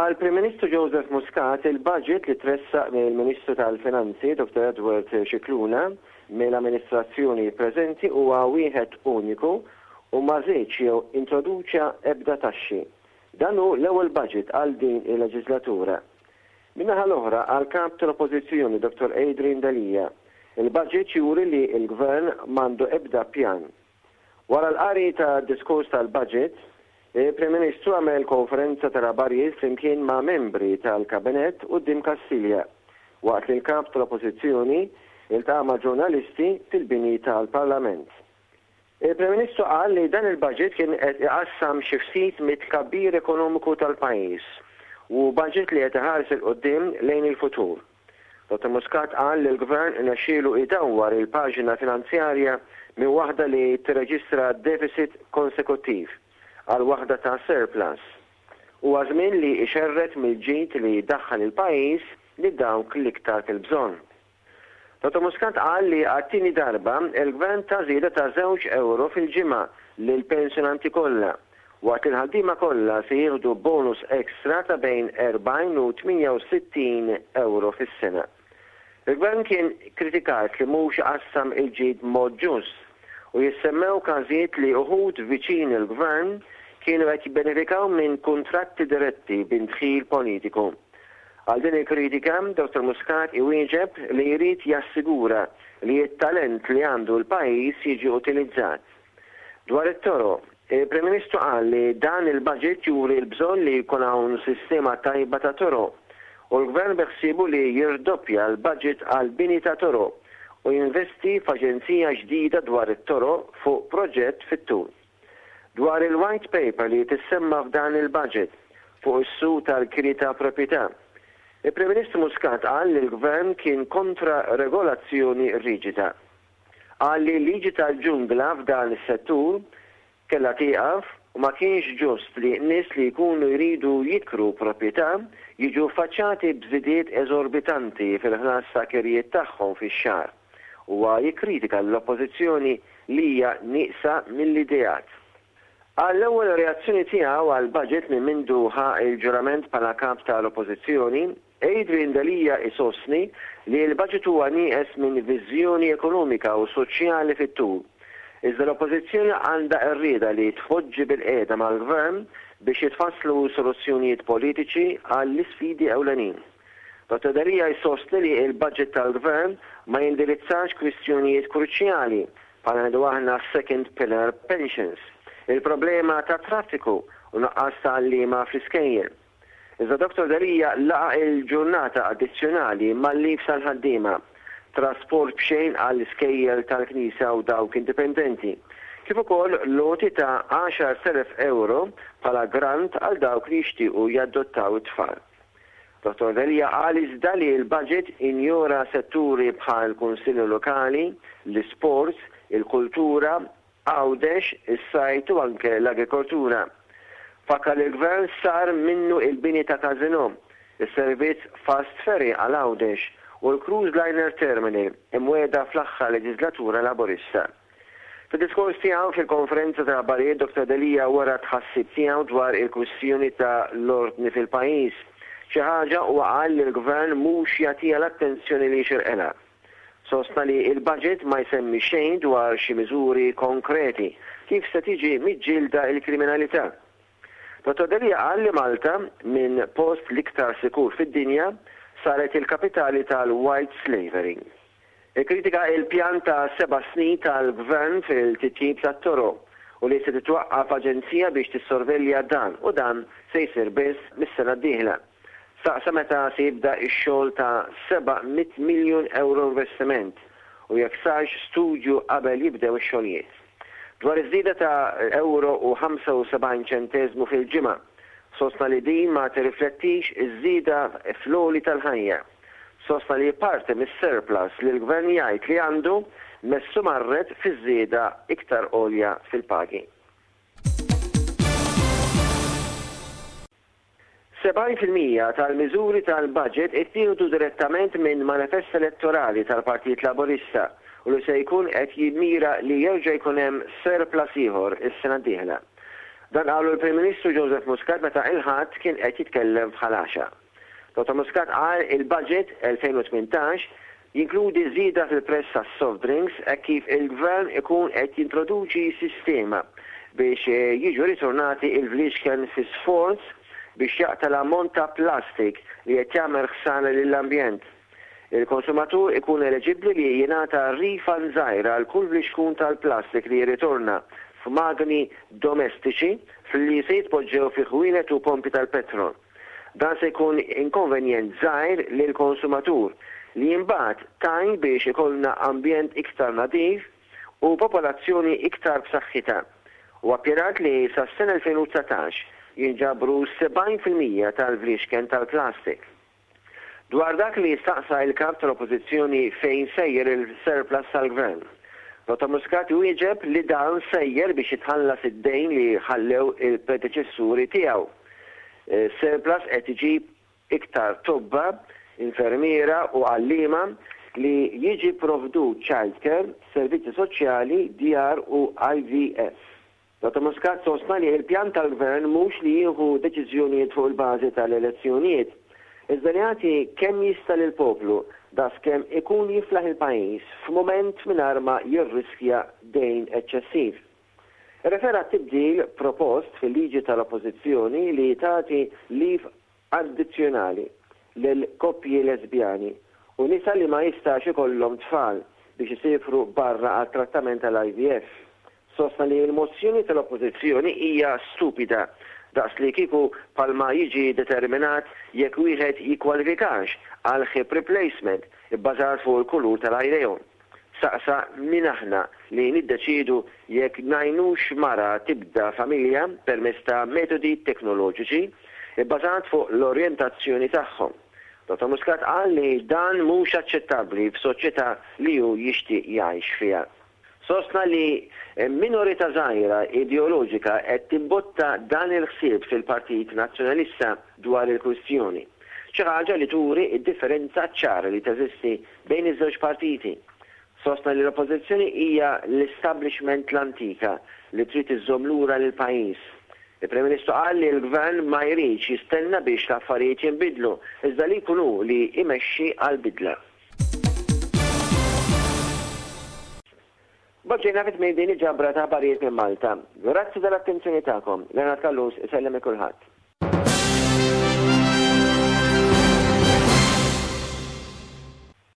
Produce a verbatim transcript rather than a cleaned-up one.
Għall-Prim Ministru Joseph Muscat, il-budget li tressaq mill-Ministru tal-Finanzi Dottor Edward Scicluna mill-amministrazzjoni preżenti huwa wieħed uniku u ma żiedx jew introduċa ebda taxxi. Dan hu l-ewwel budget għal din il-leġislatura. Min-naħa l-oħra, għall-Kap tal-Oppożizzjoni Dottor Adrian Delia, il-budget juri li l-Gvern m'għandu ebda pjan. Wara l-qari ta' diskors tal-budget, il-Prim Ministru għamel konferenza tal-aħbarijiet flimkien ma' membri tal-Kabinett quddiem Kastilja, waqt li l-Kap tal-Oppożizzjoni iltaqa' ma' ġurnalisti fil-bini tal-Parlament. Il-Prim Ministru qal li dan il-budget kien qed iqassam xi ftit mit-tkabbir ekonomiku tal-pajjiż u budget li qed iħares 'il quddiem lejn il-futur. Dottor Muscat qal li l-Gvern irnexxielu idawwar il-paġna finanzjarja minn waħda li tirreġistra deficit konsekuttiv għal waħda ta' surplus. Huwa żmien li ixerred mill-ġid li daħħal il-pajjiż li dawk l-iktar fil-bżonn. Dottor Muscat qal li għat-tieni darba il-Gvern ta' żieda ta' żewġ euro fil-ġimgħa lil pensjonanti kollha, waqt li l-ħaddiema kollha se jieħdu bonus ekstra ta' bejn erbgħin u tmienja u sittin euro fis-sena. Il-Gvern kien kritikat li mhux qassam il-ġid b'mod ġust u jissemmew każijiet li uħud viċin il-Gvern kienu qed jibbenefikaw minn kuntratti diretti b'indħil politiku. Għal din il-kritika, Dottor Muscat iwieġeb li jrid jassigura li t-talent li għandu l-pajjiż jiġi utilizzat. Dwar it-toroq, il-Prim Ministru qal li dan il-budget juri l-bżonn li jkun hawn sistema tajba ta' toroq u l-Gvern beħsiebu li jirdoppja l-budget għal bini ta' toroq u jinvesti f'aġenzija ġdida dwar it-toroq fuq proġett fit-tul. Dwar il-white paper li tissemma f'dan il-budget fuq is-suq tal-kiri ta' proprjetà, il-Prim Ministru Muscat qal li l-Gvern kien kontra regolazzjoni riġida. Qal li l-liġi tal-ġungla f'dan is-settur kellha tieqaf u ma kienx ġust li nies li jkunu jridu jikru proprjetà jiġu faċċati b'żidiet eżorbitanti fil-ħlas ta' kirjiet tagħhom fix-xahar. Huwa jikkritika l-Oppożizzjoni li hija nieqsa mill-ideat. Għall-ewwel reazzjoni tiegħu għall-budget minn mindu ħa il-ġurament bħala kap tal-Oppożizzjoni, Adrian Delia isostni li l-budget huwa nieqes minn viżjoni ekonomika u soċjali fit-tul. Iżda l-Oppożizzjoni għandha r-rieda li tpoġġi bil-qiegħda mal-Gvern biex jitfasslu soluzzjonijiet politiċi għall-isfidi ewlenin. Dottor Delia jsostni li l-budget tal-Gvern ma jindirizzax kwistjonijiet kruċjali bħala ngħidu aħna second pillar pensions, il-problema ta' traffiku u nuqqas ta' għalliema fl-iskejjel. Iżda Dottor Delia laqa il-ġurnata addizzjonali mal-leave tal-ħaddiema, trasport b'xejn għall-iskejjel tal-Knisja u dawk indipendenti, kif ukoll loti ta' għaxar elef euro bħala grant għal dawk li jixtiequ jadottaw it-tfal. Dottor Delia qal iżda li l-budget injora setturi bħal kunsilli lokali, l-isports, il-kultura, Għawdex, is-sajt u anke l-agrikoltura. Fakkar li l-Gvern sar minnu il-bini ta' Casino, is-servizz fast ferry għal Għawdex u l-Cruise Liner Terminal imwiegħda fl-aħħar leġislatura Laburista. Fid-diskors tiegħu fil-konferenza ta' aħbarijiet, Dottor Delia wara tħassib tiegħu dwar il-kwistjoni ta' l-ordni fil-pajjiż. Xi ħaġa huwa qal li l-Gvern mhux jagħtiha l-attenzjoni li jixirqilha. Sostna li l-budget ma jsemmi xejn dwar xi miżuri konkreti kif se tiġi miġġielda l-kriminalità. Dottor Delia qal li Malta, minn post l-iktar sikur fid-dinja, saret il-kapitali tal-white slavery. Ikkritika il-pjan ta' seba' snin tal-Gvern fil-titjib tat-toroq u li se titwaqqaf aġenzija biex tissorvelja dan u dan se jsir biss mis-sena d-dieħla. Saqsa meta se jibda x-xogħol ta' seba' mitt miljun euro investiment u jekk sarx studju qabel jibdew ix-xogħlijiet. Dwar iż-żieda ta' euro u ħamsa u sebgħin ċenteżmu fil-ġimgħa, sostna li din ma tirriflettix iż-żieda fl-għoli tal-ħajja. Sostna li parti mis-surplus li l-Gvern jgħid li għandu messu marret fiż-żieda iktar għolja fil-pagi. Sebgħin fil-mija tal-miżuri tal-budget ittieħdu direttament minn manifest elettorali tal-Partit Laburista u li se jkun qed jimmira li jerġa' jkun hemm surplus ieħor is-sena d-dieħla. Dan qalu l-Prim Ministru Joseph Muscat meta il-Ħadd kien qed jitkellem f'Ħal Għaxaq. Dottor Muscat qal il-budget elfejn u tmintax jinkludi żieda fil-prezz tas-soft drinks hekk kif il-gvern ikun qed jintroduċi sistema biex jiġu ritornati il-fliexken fi sforz biex jaqta' l-ammont ta' plastik li qed jagħmel ħsara lill-ambjent. Il-konsumatur ikun eliġibbli li jingħata refund żgħira għal kull flixkun tal-plastik li jirritorna f'magni domestiċi li se jitpoġġew fi ħwienet u pompi tal-petrol. Dan se jkun inkonvenjent żgħir lil konsumatur li imbagħad tgħin biex ikollna ambjent iktar nadif u popolazzjoni iktar b'saħħitha. U appjanat li sas-sena elfejn u dsatax jinġabru sebgħin fil-mija tal-fliexken tal-plastik. Dwar dak li staqsa il-kap tal-Oppożizzjoni fejn sejjer il-surplus tal-gvern, Dottor Muscat wieġeb li dan sejjer biex jitħallas id-dejn li ħallew il-predeċessuri tiegħu. Surplus qed iġib iktar tobba, infermiera u għalliema, li jiġi provdut childcare, servizzi soċjali, djar u I V F. Dottor Muscat sostna li il-pjan tal-gvern mhux li jieħu deċiżjonijiet fuq il-bażi tal-elezzjonijiet, iżda li jagħti kemm jista' lill-poplu daqs kemm ikun jiflaħ il-pajjiż f'mument mingħajr ma jirriskja dejn eċċessiv. Refera tibdil propost fil-liġi tal-Oppożizzjoni li tagħti leave addizzjonali lil koppji lesbjani u nisa li ma jistax ikollhom tfal biex isifru barra għal trattament tal-I V F. Sostna li l-mozzjoni tal-Oppożizzjoni hija stupida daqs li kieku bħalma jiġi determinat jekk wieħed jikkwalifikax għal hip replacement ibbażat fuq il-kulur tal-għajnejhom. Saqsa min aħna li niddeċidu jekk ngħinux mara tibda familja permezz ta' metodi teknoloġiċi ibbażat fuq l-orjentazzjoni tagħhom. Dottor Muscat qal li dan mhux aċċettabbli f'soċjetà li hu jixtieq jgħix fiha. Sostna li minorità żgħira ideoloġika qed timbotta dan il-ħsieb fil-Partit Nazzjonalista dwar il-kwistjoni. Xi ħaġa li turi id-differenza ċara li teżisti bejn iż-żewġ partiti. Sostna li l-Oppożizzjoni hija l-establishment l-antika li trid iżżomm lura lil pajjiż. Il-Prim Ministru qal li l-Gvern ma jridx jistenna biex l-affarijiet jinbidlu, iżda li jkunu li imexxi għal-bidla. B'hekk ġejna fi tmiem din il-ġabra ta' aħbarijiet minn Malta. Grazzi tal-attenzjoni tagħkom. Leonard Callus isellem kulħadd.